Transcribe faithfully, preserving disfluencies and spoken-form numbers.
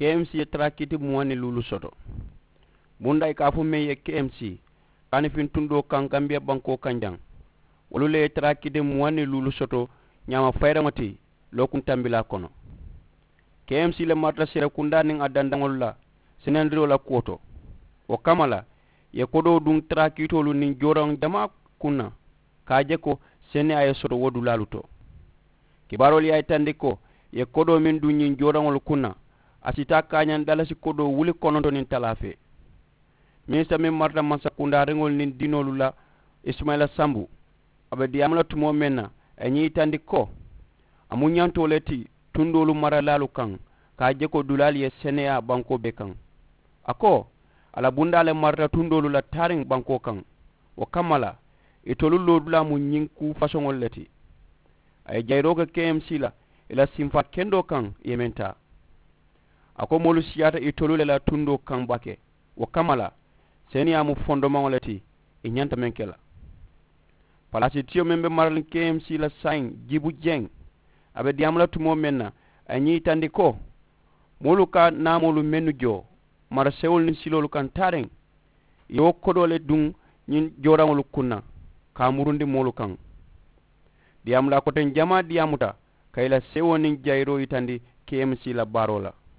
K M C ye taraakiti muwaŋ ni luulu soto. Bundaa i ka a fo meŋ ye K M C kaanifiŋ tundoo kaŋ kambiya bankoo kaŋ jaŋ, wolu le ye taraakiti muwaŋ ni luulu soto ñaama fayiraŋo ti lookuŋ tambilaa kono. K M C le marata seerekundaa niŋ a dandaŋolu la senendiroo la kuwo to. Wo kamma la ì ye kodoo duŋ taraakiitoolu niŋ jooraŋ jamaa kuŋ na ka a je ko seneyaa ye soto wo dulaalu to. Kibaaroolu ye a yitandi ko ì ye kodoo meŋ duŋ ñiŋ jooraŋolu kuŋ na a si taa kaañaŋ dalasi kodoo wuli kononto niŋ talaa fee. Minisita meŋ marata mansakundaariŋolu niŋ diinoolu la, isumayila sambu, a be diyaamu la tumoo meŋ na a ye ñiŋ yitandi ko a mu ñantoo le ti tundoolu maralaalu kaŋ ka a je ko dulaalu ye seneyaa bankoo bee kaŋ. A ko a la bundaa le marata tundoolu la taariŋ bankoo kaŋ. Wo kamma la itolu loodulaa mu ñiŋ kuu fasoŋolu le ti. A ye jayiroo ke K M C la ì la simfaa kendoo kaŋ ì ye meŋ taa. A ko moolu siyaata itolu le la tundoo kaŋ baake. Wo kamma la seneyaa mu fondomaŋo le ti ì ñanta meŋ ke la. Palaasitiyo meŋ be maraliŋ K M C la saayiŋ jibu jeŋ, a be diyaamu la tumoo meŋ na a ye ñiŋ yitandi ko moolu ka naamoolu mennu joo mara sewolu niŋ siloolu kaŋ taariŋ ì ye wo kodoo le duŋ ñiŋ jooraŋolu kuŋ na ka a murundi moolu kaŋ. Diyaamulaa koteŋ jamaa diyaamuta ka ì la sewoo niŋ jayiroo yitandi K M C la baaroo la.